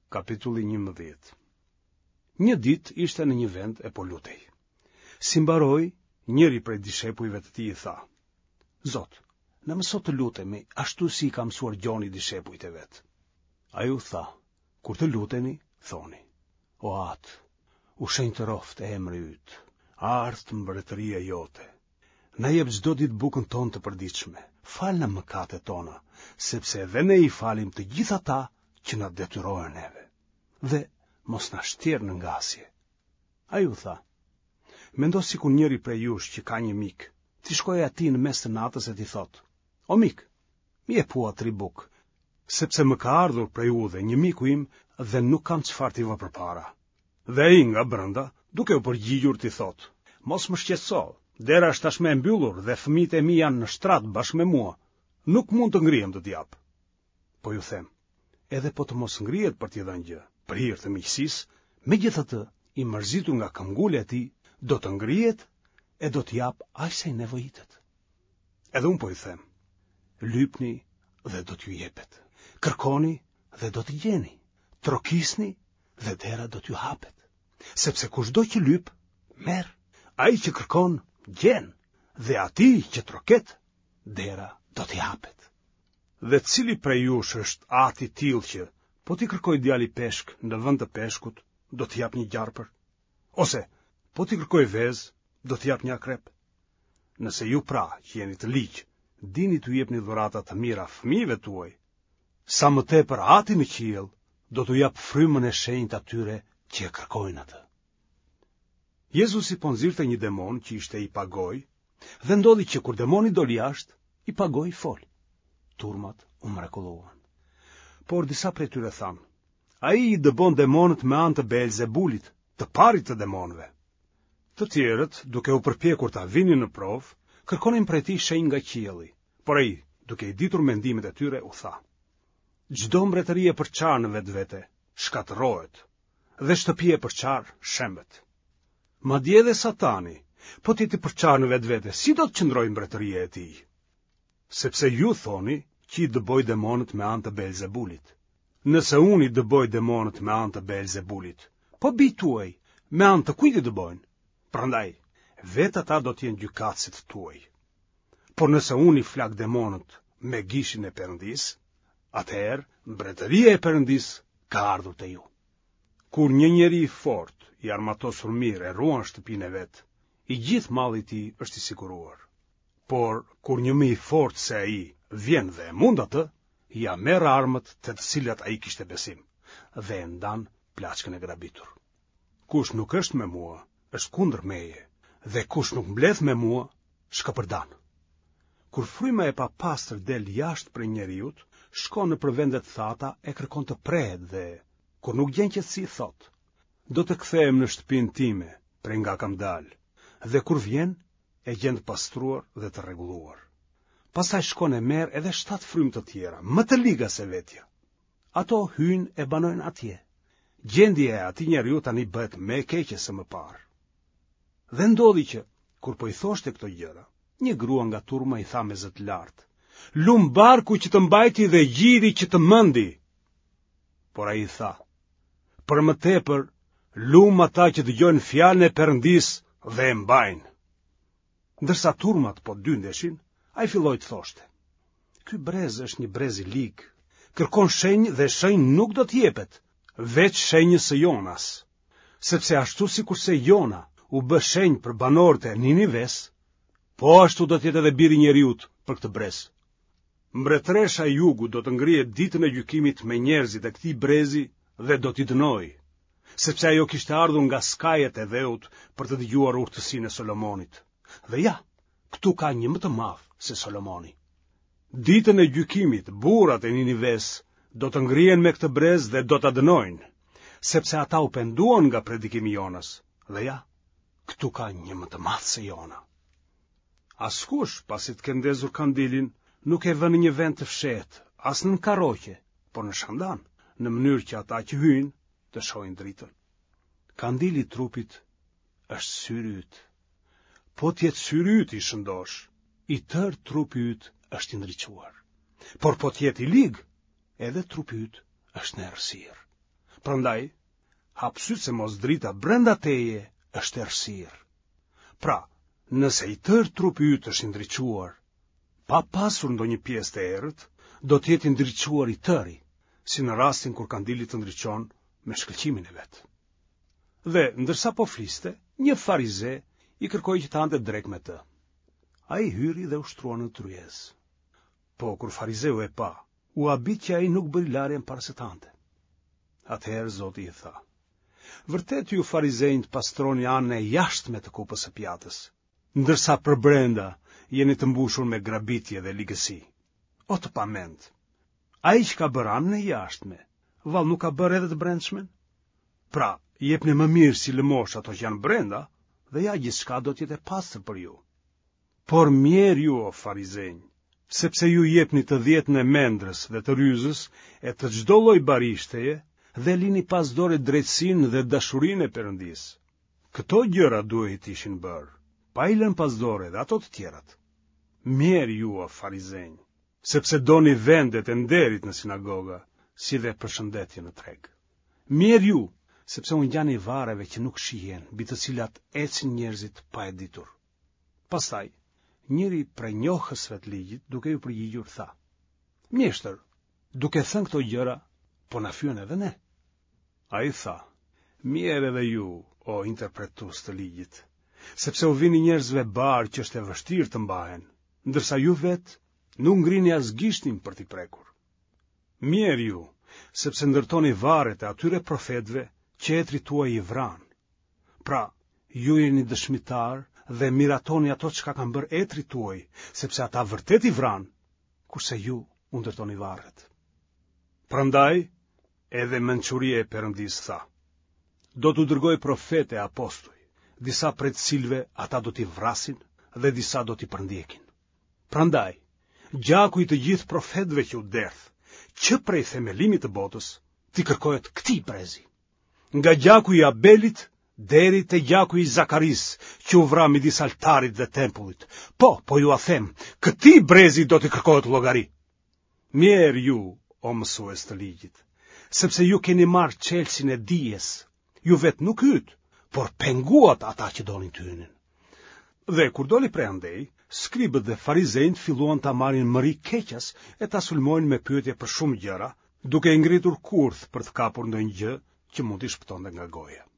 Kapitulli 11 Një ditë ishte në një vend e po lutej. Si mbaroi, njëri prej dishepujve të tij i tha: Zot, na mëso të lutemi ashtu si i ka mësuar Gjoni dishepujt e vet. Ai u tha: Kur të luteni, thoni: O Atë, u shenjtëroftë emri yt, ardhtë mbretëria jote. Na jep çdo ditë bukën tonë të përditshme, falna mëkatet tona, sepse edhe ne i falim të gjithë ata që na detyrohen neve. Dhe mos na shtjer në ngasje. Ai u tha, mendo sikur njëri prej jush që ka një mik, t'i shkojë atij në mes të natës e t'i thotë, o mik, më jep hua tri bukë, sepse më ka ardhur prej udhe një miku im dhe nuk kam çfarë t'i vë përpara. Dhe ai nga brenda, duke u përgjigjur t'i thotë, mos më shqetëso, dera është tashmë e mbyllur dhe fëmijët e mi janë në shtrat bashkë me mua, nuk mund të ngrihem të të jap. Po ju them, edhe po të mos ngrihet për t'i dhënë gjë, për hir të miqësisë, megjithatë, i mërzitur nga këmbëngulja e tij, do të ngrihet e do t'i japë aq sa i nevojitet. Edhe unë po ju them, lypni dhe do t'ju jepet, kërkoni dhe do të gjeni, trokisni dhe dera do t'ju hapet. Sepse kushdo që lyp, merr, ai që kërkon, gjen, dhe atij që troket, dera do t'i hapet. Dhe cili prej jush është atë i tillë që, po t'i kërkojë djali peshk në vend të peshkut, do t'i japë një gjarpër? Ose, po t'i kërkojë vezë, do t'i japë një akrep? Nëse ju pra, që jeni të ligj, dini t'u jepni dhurata të mira fëmijëve tuaj, sa më tepër Ati në qiell do t'u japë frymën e shenjtë atyre që e kërkojnë atë. Jezusi po nxirrte një demon që ishte i pagojë dhe ndodhi që kur demoni doli jashtë, i pagoji foli. Turmat u mrekulluan. Por disa prej tyre thanë, ai i dëbon demonët me anë të Beelzebulit, të parit të demonëve. Të tjerët, duke u përpjekur ta vinin në provë, kërkonin prej tij shenjë nga qielli, por ai, duke i ditur mendimet e tyre, u tha: Çdo mbretëri e përçarë në vetvete shkatërrohet dhe shtëpia e përçarë shembet. Madje edhe Satani, po të jetë i përçarë në vetvete, si do të qëndrojë mbretëria e tij? Sepse ju thoni që i dëboj demonët me anë të Beelzebulit. Nëse unë i dëboj demonët me anë të Beelzebulit, po bijtë tuaj me anë të kujt i dëbojnë? Prandaj, vetë ata do të jenë gjykatësit tuaj. Por nëse unë i flak demonët me gishin e Perëndisë, atëherë mbretëria e Perëndisë ka ardhur te ju. Kur një njeri i fortë, i armatosur mirë e ruan shtëpinë e vet, i gjithë malli i tij është i siguruar. Por, kur një më i fortë se ai vjen dhe e mund atë, ia merr armët te të cilat ai kishte besim dhe e ndan plaçkën e grabitur. Kush nuk është me mua, është kundër meje, dhe kush nuk mbledh me mua, shkapërdan. Kur fryma e papastër del jashtë prej njeriut, shkon nëpër vende të thata e kërkon të prehet dhe, kur nuk gjen qetësi, thotë, do të kthehem në shtëpinë time, prej nga kam dalë, dhe kur vjen, e gjen të pastruar dhe të rregulluar. Pastaj shkon e merr edhe shtatë frymë të tjera, më të liga se vetja. Ato hyjnë e banojnë atje. Gjendja e atij njeriu tani bëhet më e keqe se më parë. Dhe ndodhi që, kur po i thoshte këto gjëra, një grua nga turma i tha me zë të lartë, Lum barku që të mbajti dhe gjiri që të mëndi. Por ai i tha, Për më tepër, lum ata që dëgjojnë fjalën e Perëndisë dhe e mbajnë. Ndërsa turmat po dyndeshin, ai filloi të thoshte: Ky brez është një brez i lig. Kërkon shenjë dhe shenjë nuk do t'i jepet, veç shenjës së Jonas. Sepse ashtu sikurse Jona u bë shenjë për banorët e Ninives, po ashtu do të jetë edhe biri i njeriut për këtë brez. Mbretëresha e Jugut do të ngrihet ditën e gjykimit me njerëzit e këtij brezi dhe do t'i dënojë, sepse ajo kishte ardhur nga skajet e dheut për të dëgjuar urtësinë e Solomonit. Dhe ja, këtu ka një më të madh se Solomoni. Ditën e gjykimit, burrat e Ninives do të ngrihen me këtë brez dhe do ta dënojnë, sepse ata u penduan nga predikimi i Jonës. Dhe ja, këtu ka një më të madh se Jona. Askush, pasi të ketë ndezur kandilin, nuk e vë në një vend të fshehtë, as nën karroqe, por në shandan, në mënyrë që ata që hyjnë të shohin dritën. Kandili i trupit është syri yt. Po të jetë syri yt i shëndoshë, i tërë trupi yt është i ndriçuar. Por po të jetë i lig, edhe trupi yt është në errësirë. Prandaj, hap sytë se mos drita brenda teje është errësirë. Pra, nëse i tërë trupi yt është i ndriçuar, pa pasur ndonjë pjesë të errët, do të jetë i ndriçuar i tëri, si në rastin kur kandili të ndriçon me shkëlqimin e vet. Dhe, ndërsa po fliste, një farize i kërkoi që të hante drekë me të. Ai hyri dhe u shtrua në tryezë. Po, kur farizeu e pa, u habit që ai nuk bëri larjen para se të hante. Atëherë Zoti i tha: Vërtet ju farizenjtë pastroni anën e jashtme të kupës e pjatës, ndërsa përbrenda jeni të mbushur me grabitje dhe ligësi. O të pamend! Ai që ka bërë anën e jashtme, vallë nuk ka bërë edhe të brendshmen? Pra, jepni më mirë si lëmoshë ato që janë brenda, dhe ja gjithçka do të jetë e pastër për ju. Por mjerë ju o farizenj, sepse ju jepni të dhjetën e mendrës dhe të ryzës e të çdo lloj barishteje dhe lini pas dore drejtësinë dhe dashurinë e Perëndisë. Këto gjëra duhej të ishin bërë, pa i lënë pas dore dhe ato të tjerat. Mjerë ju o farizenj, sepse doni vendet e nderit në sinagoga, si dhe përshëndetje në treg. Mjerë ju, sepse u ngjani varreve që nuk shihen, mbi të cilat ecin njerëzit pa e ditur. Pastaj, njëri prej njohësve të ligjit, duke iu përgjigjur, tha: Mjeshtër, duke thënë këto gjëra, po na fyen edhe ne. Ai tha: Mjerë edhe ju, o interpretues të ligjit, sepse u vini njerëzve barrë që është e vështirë të mbahen, ndërsa ju vetë nuk ngrini as gishtin për t'i prekur. Mjerë ju, sepse ndërtoni varret e atyre profetëve që etërit tuaj i vranë. Pra, ju jeni dëshmitarë dhe miratoni ato çka kanë bërë etërit tuaj, sepse ata vërtet i vranë, kurse ju u ndërtoni varret. Prandaj, edhe mençuria e Perëndisë tha, do t'u dërgoj profetë e apostuj, disa prej të cilëve ata do t'i vrasin dhe disa do t'i përndjekin. Prandaj, gjaku i të gjithë profetëve që u derdh, që prej themelimit të botës, t'i kërkohet këtij brezi. Nga gjaku i Abelit deri te gjaku i Zakarisë, që u vra midis altarit dhe tempullit. Po, po jua them, këtij brezi do t'i kërkohet llogari. Mjerë ju, o mësues të ligjit, sepse ju keni marrë çelësin e dijes. Ju vetë nuk hytë, por penguat ata që donin të hynin. Dhe kur doli prej andej, skribët dhe farizenjtë filluan ta marrin mëri keqas e ta sulmojnë me pyetje për shumë gjëra, duke i ngritur kurth për të kapur ndonjë gjë që mund t'i shpëtonte nga goja.